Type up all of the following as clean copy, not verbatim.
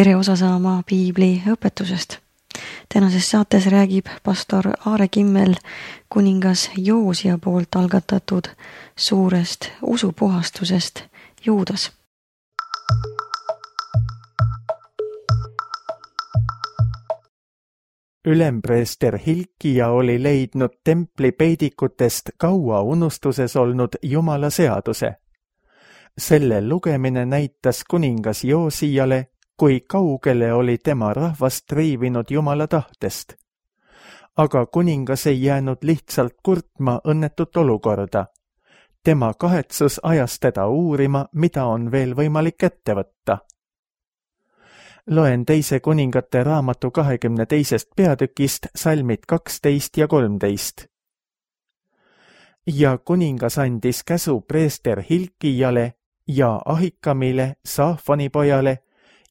tere osa saama piibli õpetusest. Tänases saates räägib pastor Aare Kimmel kuningas Joosia poolt algatatud suurest usupuhastusest Juudas. Ülempreester Hilkia oli leidnud templi peidikutest kaua unustuses olnud Jumala seaduse. Selle lugemine näitas kuningas Joosijale, kui kaugele oli tema rahvast triivinud Jumala tahtest. Aga kuningas ei jäänud lihtsalt kurtma õnnetut olukorda. Tema kahetsus ajas teda uurima, mida on veel võimalik ette võtta. Loen teise kuningate raamatu 22. peatükist salmid 12 ja 13. Ja kuningas andis käsu preester Hilkijale ja Ahikamile, Saafani pojale,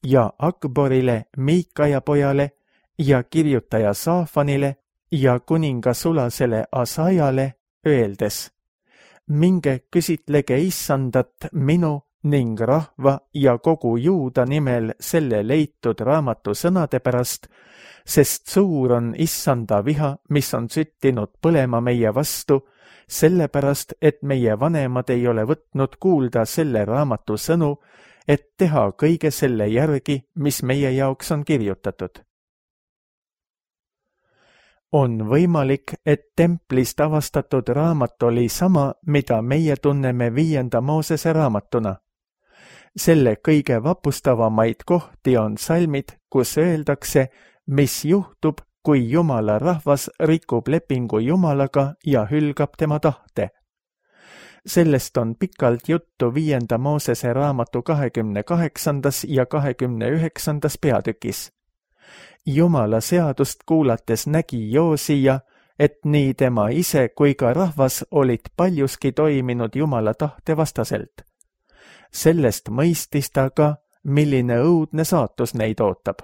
ja Akborile, Miikaja pojale, ja kirjutaja Saafanile ja kuninga sulasele Asajale, öeldes: minge küsitlege Issandat minu ning rahva ja kogu Juuda nimel selle leitud raamatu sõnade pärast, sest suur on Issanda viha, mis on süttinud põlema meie vastu, sellepärast, et meie vanemad ei ole võtnud kuulda selle raamatu sõnu, et teha kõige selle järgi, mis meie jaoks on kirjutatud. On võimalik, et templist avastatud raamat oli sama, mida meie tunneme 5. Moosese raamatuna. Selle kõige vapustavamaid kohti on salmid, kus öeldakse, mis juhtub, kui Jumala rahvas rikub lepingu Jumalaga ja hülgab tema tahte. Sellest on pikalt juttu 5. Moosese raamatu 28. ja 29. peatükis. Jumala seadust kuulates nägi Joosija, et nii tema ise kui ka rahvas olid paljuski toiminud Jumala tahte vastaselt. Sellest mõistis ta ka, milline õudne saatus neid ootab.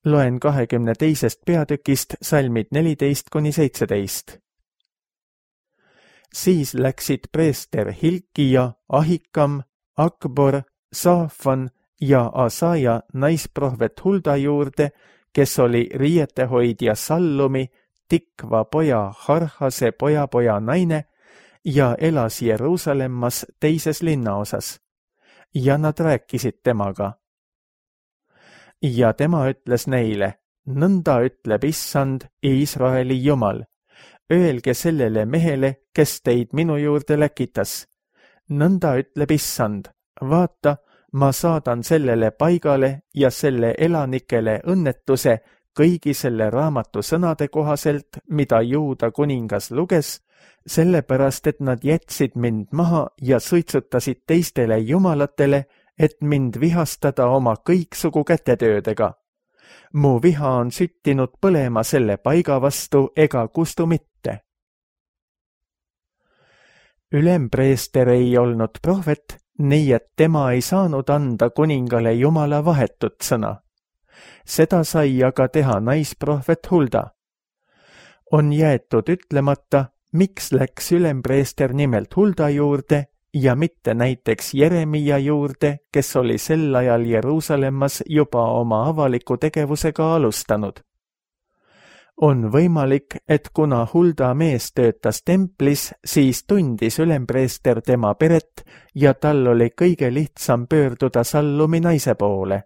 Loen 22. peatükist salmid 14-17. Siis läksid preester Hilkia, Ahikam, Akbor, Saafan ja Asaja naisprohvet Hulda juurde, kes oli riietehoidja Sallumi, Tikva poja Harhase poja naine ja elas Jeruusalemmas teises linnaosas. Ja nad rääkisid temaga. Ja tema ütles neile: nõnda ütleb Issand, Iisraeli Jumal. Öelge sellele mehele, kes teid minu juurde läkitas. Nõnda ütleb Issand: vaata, ma saadan sellele paigale ja selle elanikele õnnetuse kõigi selle raamatu sõnade kohaselt, mida Juuda kuningas luges, sellepärast, et nad jätsid mind maha ja suitsutasid teistele jumalatele, et mind vihastada oma kõiksugu kätetöödega. Mu viha on süttinud põlema selle paiga vastu ega kustu mitte. Ülempreester ei olnud prohvet, nii et tema ei saanud anda kuningale Jumala vahetut sõna. Seda sai aga teha naisprohvet Hulda. On jäetud ütlemata, miks läks ülempreester nimelt Hulda juurde ja mitte näiteks Jeremia juurde, kes oli sel ajal Jeruusalemmas juba oma avaliku tegevusega alustanud. On võimalik, et kuna Hulda mees töötas templis, siis tundis ülempreester tema peret ja tal oli kõige lihtsam pöörduda Sallumi naise poole.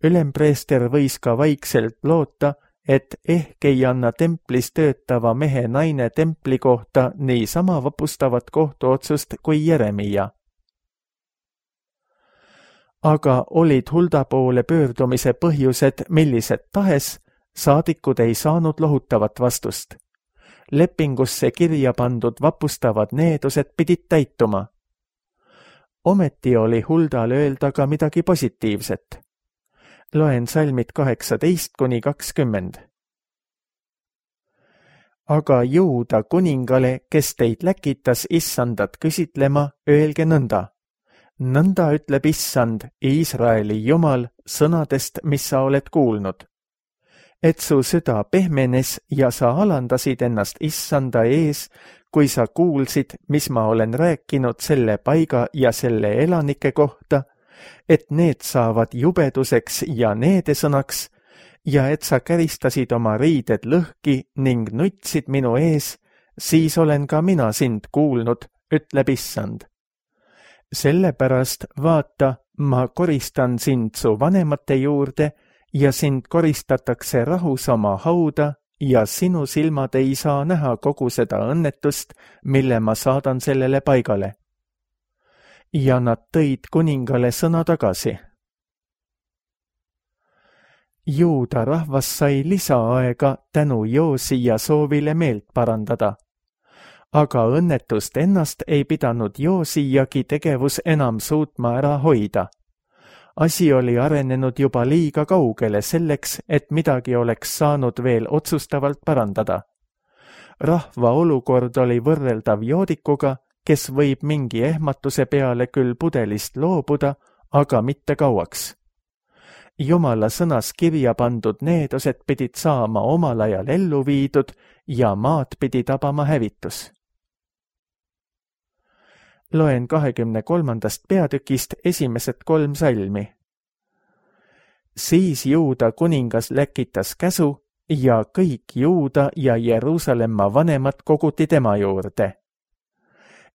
Ülempreester võis ka vaikselt loota, et ehk ei anna templis töötava mehe naine templi kohta niisama vapustavat kohtuotsust kui Jeremia. Aga olid Hulda poole pöördumise põhjused millised tahes, saadikud ei saanud lohutavat vastust. Lepingusse kirja pandud vapustavad needused pidid täituma. Ometi oli Huldal öelda ka midagi positiivset. Loen salmid 18-20. Aga Juuda kuningale, kes teid läkitas Issandat küsitlema, öelge nõnda. Nõnda ütleb Issand, Iisraeli Jumal, sõnadest, mis sa oled kuulnud. Et su süda pehmenes ja sa alandasid ennast Issanda ees, kui sa kuulsid, mis ma olen rääkinud selle paiga ja selle elanike kohta, et need saavad jubeduseks ja needesõnaks ja et sa käristasid oma riided lõhki ning nutsid minu ees, siis olen ka mina sind kuulnud, ütleb Issand. Sellepärast vaata, ma koristan sind su vanemate juurde ja sind koristatakse rahus oma hauda ja sinu silmad ei saa näha kogu seda õnnetust, mille ma saadan sellele paigale. Ja nad tõid kuningale sõna tagasi. Juuda rahvas sai lisaaega tänu Joosia soovile meelt parandada. Aga õnnetust ennast ei pidanud Joosiagi tegevus enam suutma ära hoida. Asi oli arenenud juba liiga kaugele selleks, et midagi oleks saanud veel otsustavalt parandada. Rahva olukord oli võrreldav joodikuga, kes võib mingi ehmatuse peale küll pudelist loobuda, aga mitte kauaks. Jumala sõnas kirja pandud needused pidid saama omal ajal ellu viidud ja maad pidi tabama hävitus. Loen 23. peatükist esimesed 3 salmi. Siis Juuda kuningas läkitas käsu ja kõik Juuda ja Jeruusalemma vanemad koguti tema juurde.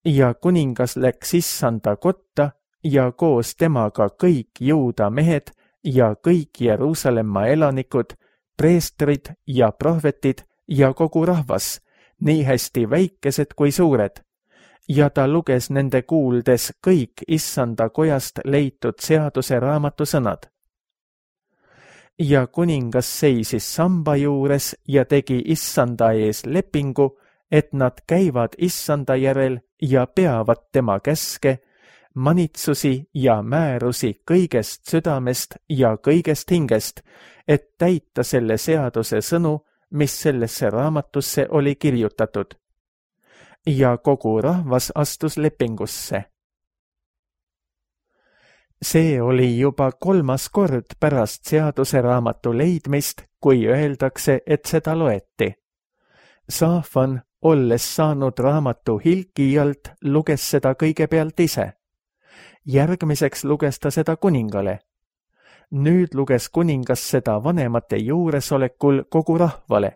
Ja kuningas läks Issanda kotta ja koos temaga kõik Juuda mehed ja kõik Jeruusalemma elanikud, preestrid ja prohvetid ja kogu rahvas, nii hästi väikesed kui suured. Ja ta luges nende kuuldes kõik Issanda kojast leitud seaduse raamatu sõnad. Ja kuningas seisis samba juures ja tegi Issanda ees lepingu, et nad käivad Issanda järel ja peavad tema käske, manitsusi ja määrusi kõigest südamest ja kõigest hingest, et täita selle seaduse sõnu, mis sellesse raamatusse oli kirjutatud. Ja kogu rahvas astus lepingusse. See oli juba 3. kord pärast seaduse raamatu leidmist, kui öeldakse, et seda loeti. Saafan, olles saanud raamatu Hilkijalt, luges seda kõigepealt ise. Järgmiseks luges ta seda kuningale. Nüüd luges kuningas seda vanemate juuresolekul kogu rahvale.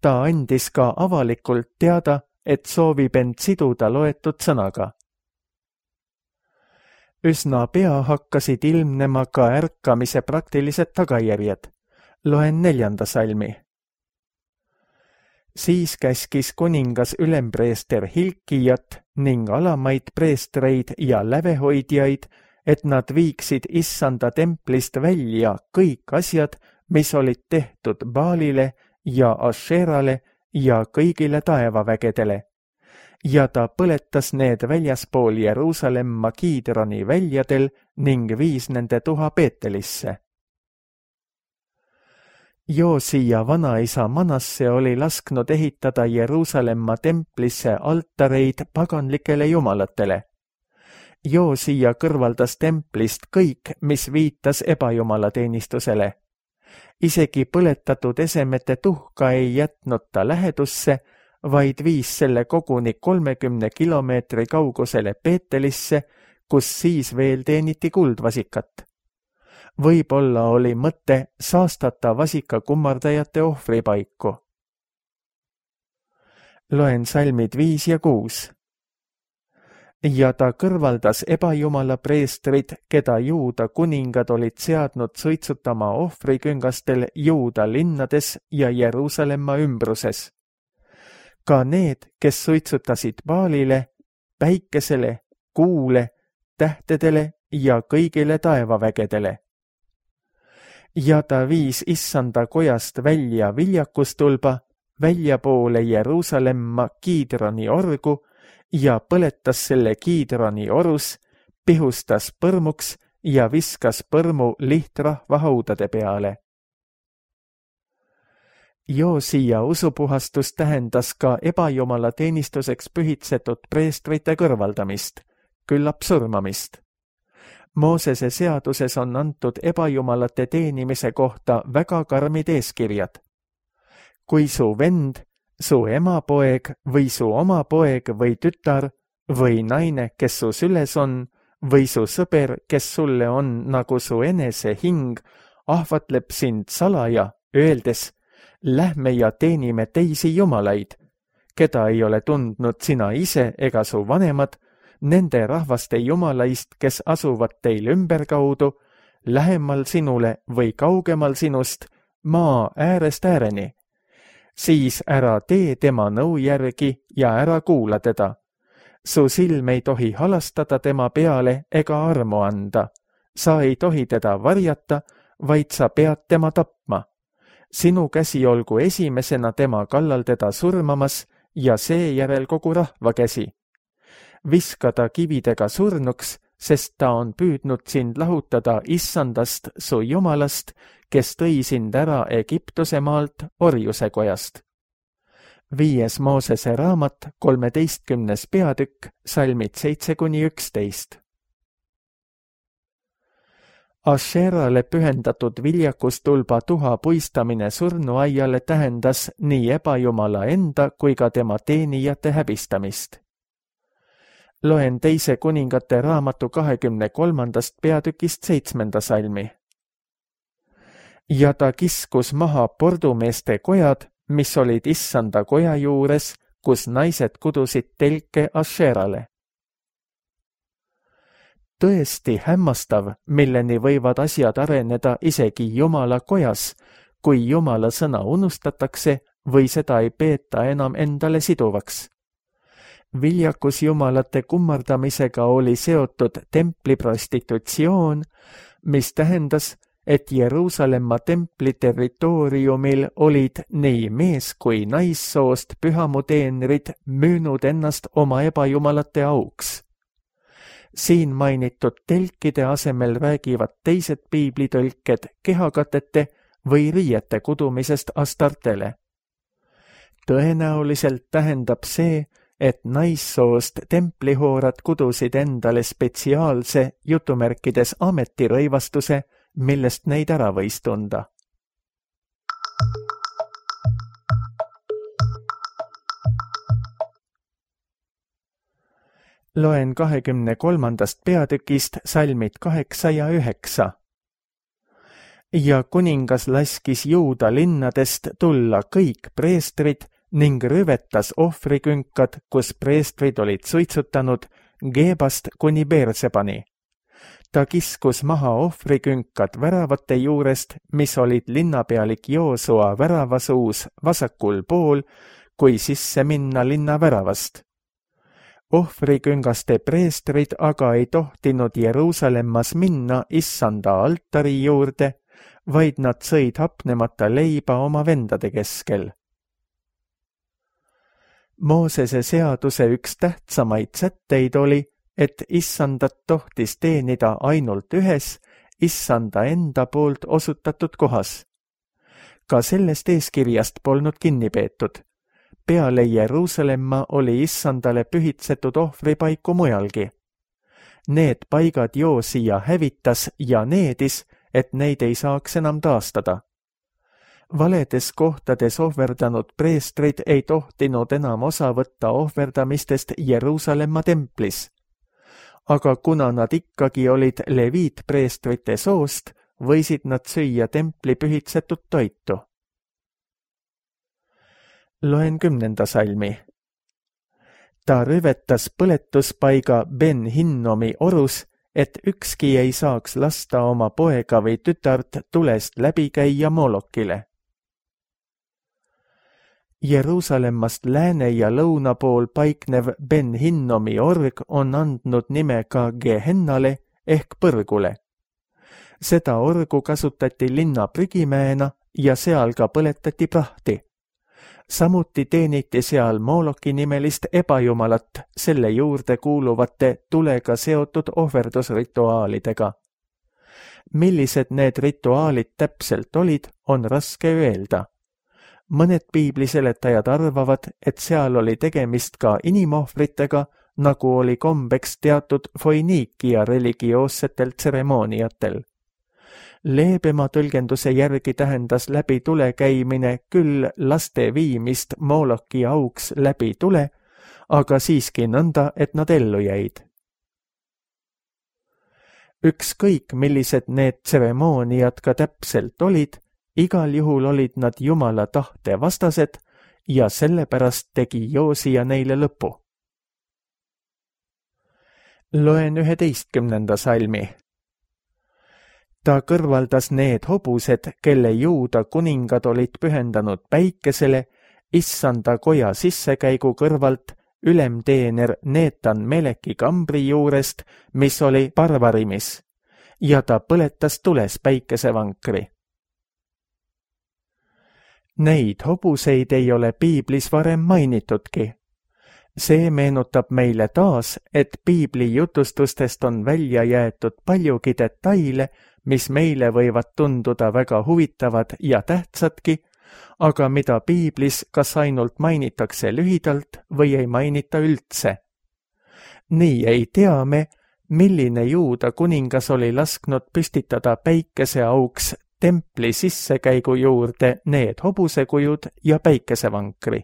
Ta andis ka avalikult teada, et soovib end siduda loetud sõnaga. Üsna pea hakkasid ilmnema ka ärkamise praktilised tagajärjed. Loen 4. salmi. Siis käskis kuningas ülempreester Hilkijat ning alamaid preestreid ja lävehoidjaid, et nad viiksid Issanda templist välja kõik asjad, mis olid tehtud Baalile ja Asherale ja kõigile taevavägedele. Ja ta põletas need väljaspool Jeruusalemma Kiidroni väljadel ning viis nende tuha Peetelisse. Joosia vanaisa Manasse oli lasknud ehitada Jeruusalemma templisse altareid paganlikele jumalatele. Joosia kõrvaldas templist kõik, mis viitas ebajumalateenistusele. Isegi põletatud esemete tuhka ei jätnud ta lähedusse, vaid viis selle koguni 30 kilomeetri kaugusele Peetelisse, kus siis veel teeniti kuldvasikat. Võib-olla oli mõte saastata vasika kummardajate ohvripaiku. Loen salmid 5 ja 6. Ja ta kõrvaldas ebajumala preestrid, keda Juuda kuningad olid seadnud suitsutama ohvriküngastel Juuda linnades ja Jeruusalemma ümbruses. Ka need, kes suitsutasid Baalile, päikesele, kuule, tähtedele ja kõigile taevavägedele. Ja ta viis Issanda kojast välja viljakustulba, väljapoole Jeruusalemma Kiidroni orgu ja põletas selle Kiidroni orus, pihustas põrmuks ja viskas põrmu lihtrahva haudade peale. Joosia usupuhastus tähendas ka ebajumala teenistuseks pühitsetud preestrite kõrvaldamist, küllap surmamist. Moosese seaduses on antud ebajumalate teenimise kohta väga karmid eeskirjad. Kui su vend, su emapoeg või su oma poeg või tütar või naine, kes su süles on, või su sõber, kes sulle on nagu su enese hing, ahvatleb sind salaja, öeldes, lähme ja teenime teisi jumalaid, keda ei ole tundnud sina ise ega su vanemad, nende rahvaste jumalaist, kes asuvad teil ümberkaudu, lähemal sinule või kaugemal sinust, maa äärest ääreni. Siis ära tee tema nõu järgi ja ära kuula teda. Su silm ei tohi halastada tema peale ega armu anda. Sa ei tohi teda varjata, vaid sa pead tema tapma. Sinu käsi olgu esimesena tema kallal teda surmamas ja seejärel kogu rahva käsi. Viska ta kividega surnuks, sest ta on püüdnud sind lahutada Issandast, su Jumalast, kes tõi sind ära Egiptuse maalt orjuse kojast. 5. Moosese raamat, 13. peatükk, salmid 7-11. Asherale pühendatud viljakustulba tuha puistamine surnuaiale tähendas nii ebajumala enda kui ka tema teenijate häbistamist. Loen 2. kuningate raamatu 23. peatükist 7. salmi. Ja ta kiskus maha pordumeeste kojad, mis olid Issanda koja juures, kus naised kudusid telke Asherale. Tõesti hämmastav, milleni võivad asjad areneda isegi Jumala kojas, kui Jumala sõna unustatakse või seda ei peeta enam endale siduvaks. Viljakus jumalate kummardamisega oli seotud templi prostitutsioon, mis tähendas, et Jeruusalemma templi territooriumil olid nii mees- kui naissoost pühamuteenrid müünud ennast oma ebajumalate auks. Siin mainitud telkide asemel räägivad teised piiblitõlked kehakatete või riiete kudumisest Astartele. Tõenäoliselt tähendab see, et naissoost templihoorad kudusid endale spetsiaalse jutumärkides ametirõivastuse, millest neid ära võis tunda. Loen 23. peatükist salmid 8 ja 9. Ja kuningas laskis Juuda linnadest tulla kõik preestrid ning rüvetas ohvrikünkad, kus preestrid olid suitsutanud Gebast kuni Beersebani. Ta kiskus maha ohvrikünkad väravate juurest, mis olid linnapealik Joosua väravasuus vasakul pool, kui sisse minna linna väravast. Ohvriküngaste preestrid aga ei tohtinud Jeruusalemmas minna Issanda altari juurde, vaid nad sõid hapnemata leiba oma vendade keskel. Moosese seaduse üks tähtsamaid sätteid oli, et Issandat tohtis teenida ainult ühes Issanda enda poolt osutatud kohas. Ka sellest eeskirjast polnud kinni peetud. Peale Jeruusalemma oli Issandale pühitsetud ohvripaiku mujalgi. Need paigad Joosia hävitas ja needis, et neid ei saaks enam taastada. Valedes kohtades ohverdanud preestrid ei tohtinud enam osa võtta ohverdamistest Jeruusalemma templis. Aga kuna nad ikkagi olid leviitpreestrite soost, võisid nad süüa templi pühitsetud toitu. Loen 10. salmi. Ta rüvetas põletuspaiga Ben Hinnomi orus, et ükski ei saaks lasta oma poega või tütart tulest läbi käia Molokile. Jeruusalemmast lääne ja lõuna pool paiknev Ben Hinnomi org on andnud nime ka Gehennale ehk põrgule. Seda orgu kasutati linna prügimäena ja seal ka põletati prahti. Samuti teeniti seal Moloki nimelist ebajumalat selle juurde kuuluvate tulega seotud ohverdusrituaalidega. Millised need rituaalid täpselt olid, on raske öelda. Mõned piibliseletajad arvavad, et seal oli tegemist ka inimohvritega, nagu oli kombeks teatud Foiniikia religioossetel tseremooniatel. Leebema tõlgenduse järgi tähendas läbi tule käimine küll laste viimist Moloki auks läbi tule, aga siiski nõnda, et nad ellu jäid. ükskõik, millised need tseremooniad ka täpselt olid, igal juhul olid nad Jumala tahte vastased ja sellepärast tegi Joosia neile lõpu. Loen 11. salmi. Ta kõrvaldas need hobused, kelle Juuda kuningad olid pühendanud päikesele, issanda koja sissekäigu kõrvalt ülemteener Neetan Meleki kambri juurest, mis oli Parvarimis, ja ta põletas tules päikesevankri. Neid hobuseid ei ole piiblis varem mainitudki. See meenutab meile taas, et piibli jutustustest on välja jäetud paljugi detaile, mis meile võivad tunduda väga huvitavad ja tähtsadki, aga mida piiblis kas ainult mainitakse lühidalt või ei mainita üldse. Nii ei tea me, milline Juuda kuningas oli lasknud püstitada päikeseauks templi sissekäigu juurde need hobusekujud ja päikesevankri.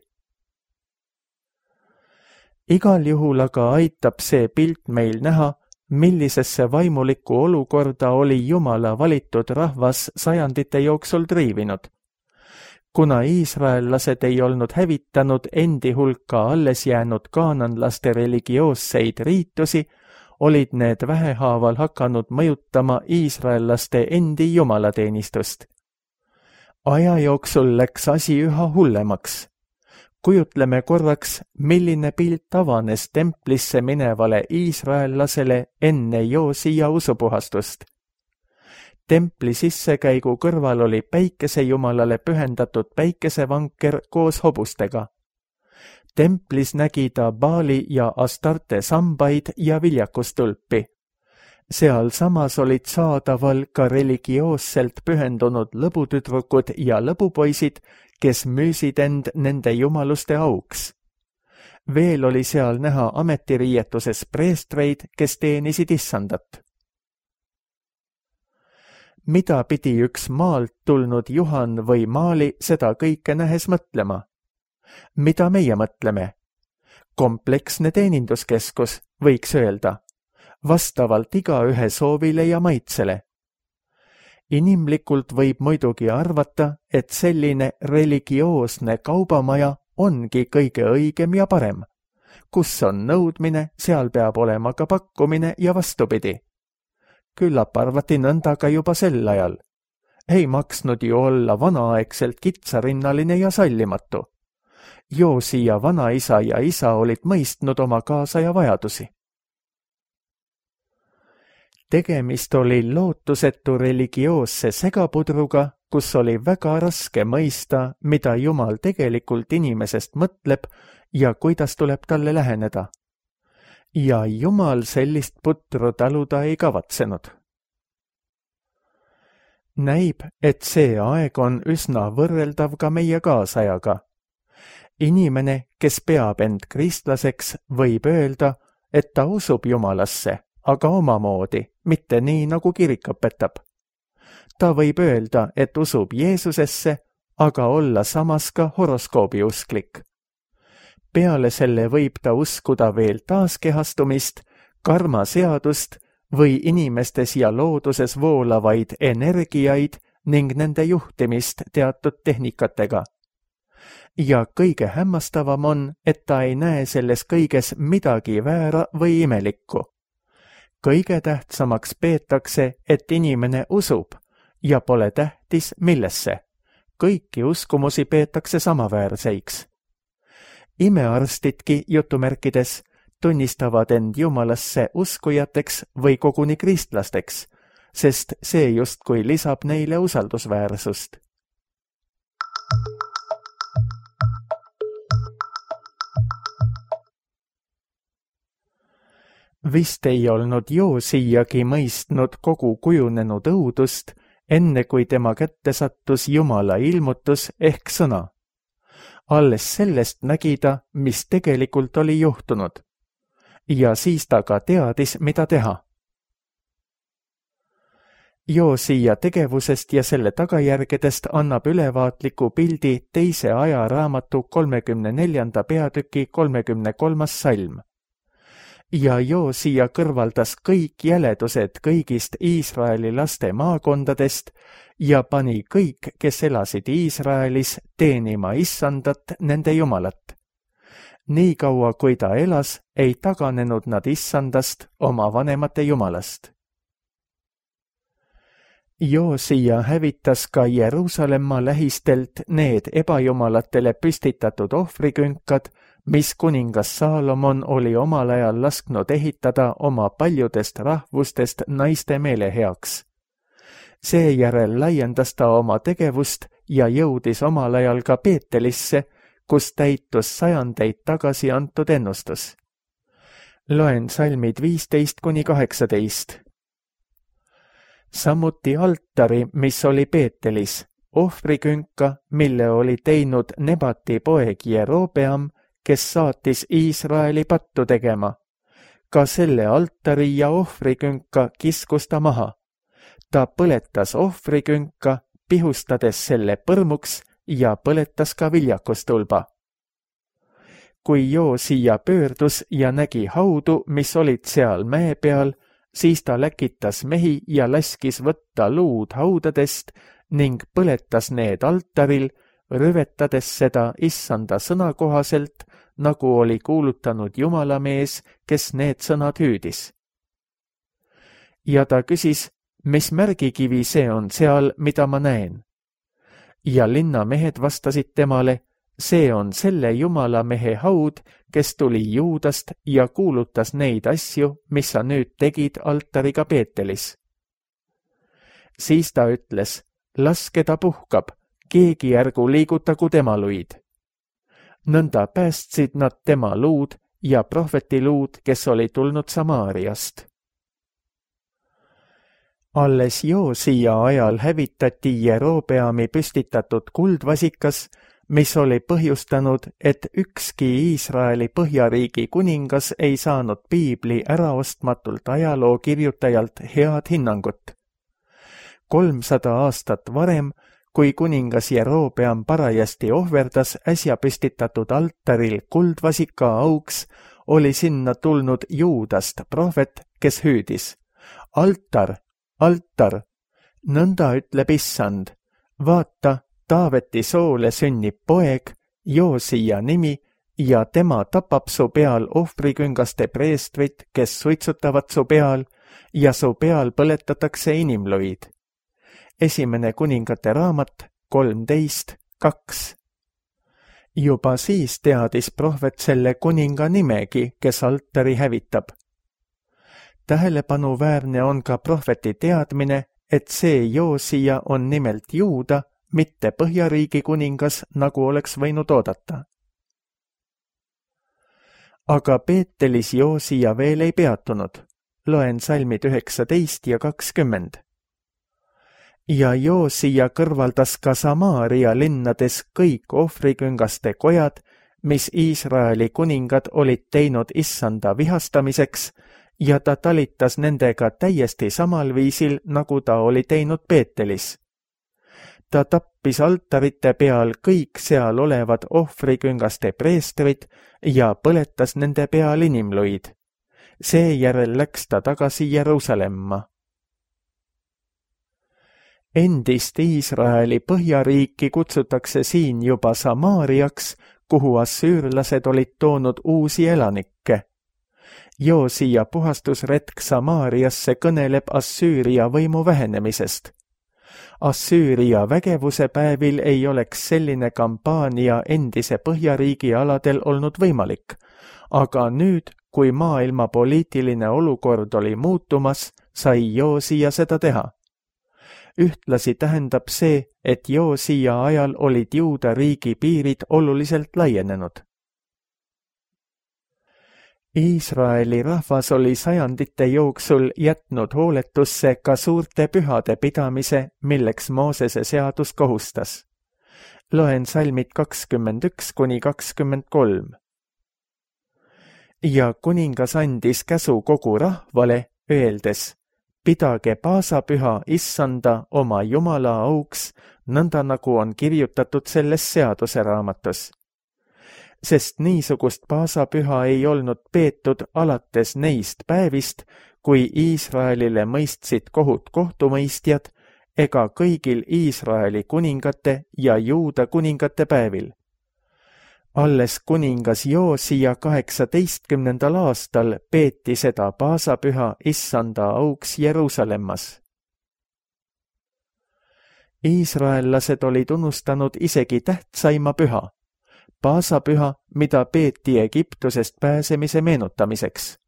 Igal juhul aga aitab see pilt meil näha, millisesse vaimulikku olukorda oli Jumala valitud rahvas sajandite jooksul triivinud. Kuna iisraellased ei olnud hävitanud endi hulka alles jäänud kaananlaste religioosseid riitusi, olid need vähehaaval hakanud mõjutama iisraellaste endi jumalateenistust. Aja jooksul läks asi üha hullemaks. Kujutleme korraks, milline pilt avanes templisse minevale iisraellasele enne Joosia usupuhastust. Templi sissekäigu kõrval oli päikesejumalale pühendatud päikesevanker koos hobustega. Templis nägi ta Baali ja Astarte sambaid ja viljakustulpi. Seal samas olid saadaval ka religioosselt pühendunud lõbutüdrukud ja lõbupoisid, kes müüsid end nende jumaluste auks. Veel oli seal näha ametiriietuses preestreid, kes teenisid issandat. Mida pidi üks maalt tulnud Juhan või Maali seda kõike nähes mõtlema? Mida meie mõtleme? Kompleksne teeninduskeskus, võiks öelda, vastavalt igaühe soovile ja maitsele. Inimlikult võib muidugi arvata, et selline religioosne kaubamaja ongi kõige õigem ja parem. Kus on nõudmine, seal peab olema ka pakkumine ja vastupidi. Küllap arvati nõnda ka juba sel ajal. Ei maksnud ju olla vanaaegselt kitsarinnaline ja sallimatu. Joosia vanaisa ja isa olid mõistnud oma kaasaja vajadusi. Tegemist oli lootusetu religioosse segapudruga, kus oli väga raske mõista, mida Jumal tegelikult inimesest mõtleb ja kuidas tuleb talle läheneda. Ja Jumal sellist putru taluda ei kavatsenud. Näib, et see aeg on üsna võrreldav ka meie kaasajaga. Inimene, kes peab end kristlaseks, võib öelda, et ta usub Jumalasse, aga omamoodi, mitte nii, nagu kirik õpetab. Ta võib öelda, et usub Jeesusesse, aga olla samas ka horoskoobiusklik. Peale selle võib ta uskuda veel taaskehastumist, karmaseadust või inimestes ja looduses voolavaid energiaid ning nende juhtimist teatud tehnikatega. Ja kõige hämmastavam on, et ta ei näe selles kõiges midagi väära või imelikku. Kõige tähtsamaks peetakse, et inimene usub ja pole tähtis millesse. Kõiki uskumusi peetakse samaväärseiks. Imearstidki jutumärkides tunnistavad end Jumalasse uskujateks või koguni kristlasteks, sest see justkui lisab neile usaldusväärsust. Vist ei olnud Joosiagi mõistnud kogu kujunenud õudust, enne kui tema kätte sattus Jumala ilmutus ehk sõna. Alles sellest nägi ta, mis tegelikult oli juhtunud. Ja siis ta ka teadis, mida teha. Joosia tegevusest ja selle tagajärgedest annab ülevaatliku pildi teise ajaraamatu 34. peatüki 33. salm. ja Joosia kõrvaldas kõik jäledused kõigist Iisraeli laste maakondadest ja pani kõik, kes elasid Iisraelis, teenima Issandat, nende Jumalat. Niikaua, kui ta elas, ei taganenud nad Issandast, oma vanemate Jumalast. Joosia hävitas ka Jeruusalemma lähistelt need ebajumalatele püstitatud ohvrikünkad, mis kuningas Saalomon oli omal ajal lasknud ehitada oma paljudest rahvustest naiste meele heaks. Seejärel laiendas ta oma tegevust ja jõudis omal ajal ka Peetelisse, kus täitus sajandeid tagasi antud ennustus. Loen salmid 15–18. Samuti altari, mis oli Peetelis, ohvrikünka, mille oli teinud Nebati poeg Jerobeam, kes saatis Iisraeli pattu tegema. Ka selle altari ja ohvrikünka kiskus ta maha. Ta põletas ohvrikünka, pihustades selle põrmuks ja põletas ka viljakustulba. Kui Joosia pöördus ja nägi haudu, mis olid seal mäe peal, siis ta läkitas mehi ja laskis võtta luud haudadest ning põletas need altaril, rüvetades seda Issanda sõna kohaselt, nagu oli kuulutanud Jumalamees, kes need sõnad hüüdis. Ja ta küsis, mis märgikivi see on seal, mida ma näen? Ja linnamehed vastasid temale, see on selle Jumalamehe haud, kes tuli Juudast ja kuulutas neid asju, mis sa nüüd tegid altariga Peetelis. Siis ta ütles, laske ta puhkab, keegi ärgu liigutagu tema luid. Nõnda päästsid nad tema luud ja prohveti luud, kes oli tulnud Samaariast. Alles Joosia ajal hävitati Jerobeami püstitatud kuldvasikas, mis oli põhjustanud, et ükski Iisraeli põhjariigi kuningas ei saanud piibli äraostmatult ajaloo kirjutajalt head hinnangut. 300 aastat varem, kui kuningas Jerobeam parajasti ohverdas äsja püstitatud altaril kuldvasika auks, oli sinna tulnud Juudast prohvet, kes hüüdis, altar, altar, nõnda ütleb Issand, vaata, Taaveti soole sünnib poeg, Joosia nimi, ja tema tapab su peal ohvriküngaste preestrit, kes suitsutavad su peal, ja su peal põletatakse inimluid. Esimene kuningate raamat 13:2. Juba siis teadis prohvet selle kuninga nimegi, kes altari hävitab. Tähelepanuväärne on ka prohveti teadmine, et see Joosia on nimelt Juuda, mitte Põhjariigi kuningas, nagu oleks võinud oodata. Aga Peetelis Joosia veel ei peatunud. Loen salmid 19 ja 20. Ja Joosia kõrvaldas ka Samaaria linnades kõik ohvriküngaste kojad, mis Iisraeli kuningad olid teinud Issanda vihastamiseks, ja ta talitas nendega täiesti samal viisil, nagu ta oli teinud Peetelis. Ta tappis altarite peal kõik seal olevad ohvriküngaste preestrid ja põletas nende peal inimluid. Seejärel läks ta tagasi Jeruusalemma. Endist Iisraeli põhjariiki kutsutakse siin juba Samaariaks, kuhu assüürlased olid toonud uusi elanikke. Joosia puhastusretk Samaariasse kõneleb Assüüria võimu vähenemisest. Assüüria vägevuse päevil ei oleks selline kampaania endise põhjariigi aladel olnud võimalik, aga nüüd, kui maailma poliitiline olukord oli muutumas, sai Joosia seda teha. Ühtlasi tähendab see, et Joosia ajal olid Juuda riigi piirid oluliselt laienenud. Iisraeli rahvas oli sajandite jooksul jätnud hooletusse ka suurte pühade pidamise, milleks Moosese seadus kohustas. Loen salmid 21–23. Ja kuningas andis käsu kogu rahvale, öeldes, pidage paasapüha Issanda oma Jumala auks, nõnda nagu on kirjutatud selles seaduse raamatus. sest niisugust paasapüha ei olnud peetud alates neist päevist, kui Iisraelile mõistsid kohut kohtumõistjad, ega kõigil Iisraeli kuningate ja Juuda kuningate päevil. Alles kuningas Joosia 18. aastal peeti seda paasapüha issanda auks Jeruusalemmas. Iisraellased olid unustanud isegi tähtsaima püha, paasapüha, mida peeti Egiptusest pääsemise meenutamiseks.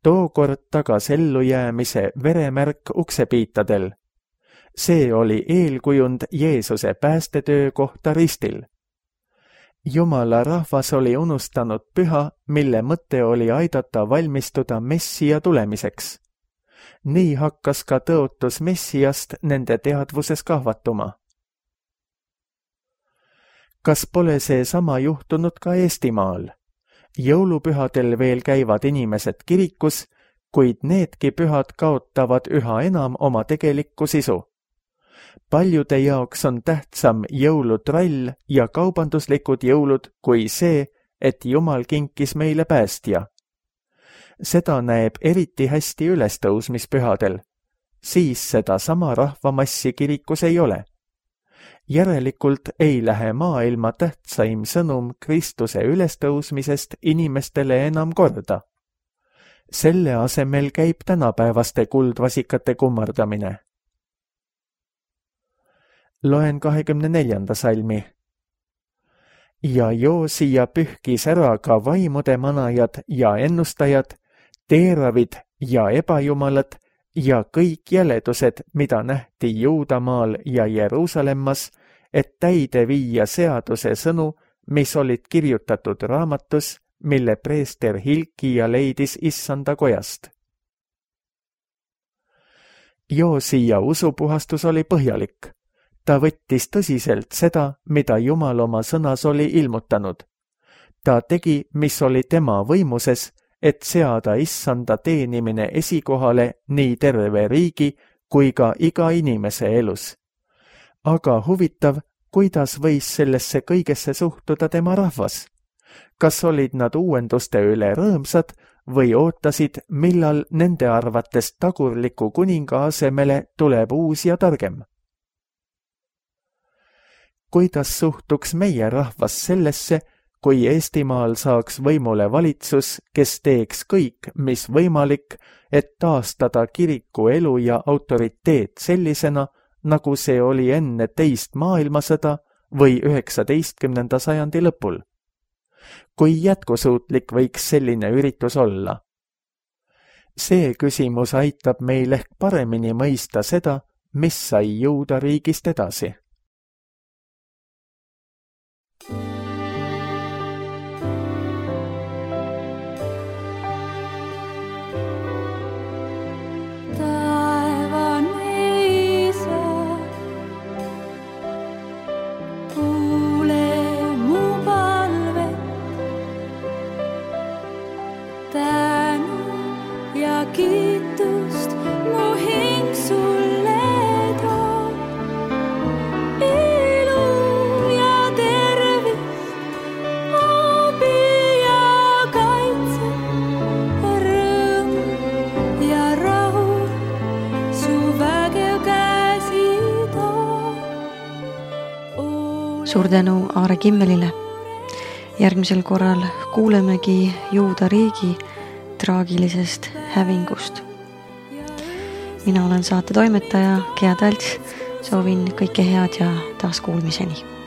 Tookord tagas ellujäämise veremärk uksepiitadel. See oli eelkujund Jeesuse päästetöö kohta ristil. Jumala rahvas oli unustanud püha, mille mõte oli aidata valmistuda Messia tulemiseks. Nii hakkas ka tõotus Messiast nende teadvuses kahvatuma. Kas pole see sama juhtunud ka Eestimaal? Jõulupühadel veel käivad inimesed kirikus, kuid needki pühad kaotavad üha enam oma tegelikku sisu. Paljude jaoks on tähtsam jõulutrall ja kaubanduslikud jõulud kui see, et Jumal kinkis meile päästja. Seda näeb eriti hästi ülestõusmispühadel, siis seda sama rahvamassi kirikus ei ole. Järelikult ei lähe maailma tähtsaim sõnum Kristuse ülestõusmisest inimestele enam korda. Selle asemel käib tänapäevaste kuldvasikate kummardamine. Loen 24. salmi. Ja Joosia pühkis ära ka vaimude manajad ja ennustajad, teeravid ja ebajumalad ja kõik jäledused, mida nähti Juudamaal ja Jeruusalemmas, et täide viia seaduse sõnu, mis olid kirjutatud raamatus, mille preester Hilkia leidis issanda kojast. Joosia usupuhastus oli põhjalik. Ta võttis tõsiselt seda, mida Jumal oma sõnas oli ilmutanud. Ta tegi, mis oli tema võimuses, et seada issanda teenimine esikohale nii terve riigi kui ka iga inimese elus. Aga huvitav, kuidas võis sellesse kõigesse suhtuda tema rahvas? Kas olid nad uuenduste üle rõõmsad või ootasid, millal nende arvates tagurliku kuninga asemele tuleb uus ja targem? Kuidas suhtuks meie rahvas sellesse, kui Eestimaal saaks võimule valitsus, kes teeks kõik, mis võimalik, et taastada kiriku elu ja autoriteet sellisena, nagu see oli enne teist maailmasõda või 19. sajandi lõpul? Kui jätkusuutlik võiks selline üritus olla? See küsimus aitab meil ehk paremini mõista seda, mis sai Juuda riigist edasi. Kiitust mu hing sulle toob, ilu ja tervist, abi ja kaitse, rõõm ja rahu, su vägev käsi toob. Suur tänu Aare Kimmelile. Järgmisel korral kuulemegi Juuda riigi traagilisest hävingust. Mina olen saate toimetaja Gea Talts, soovin kõike head ja taas kuulmiseni.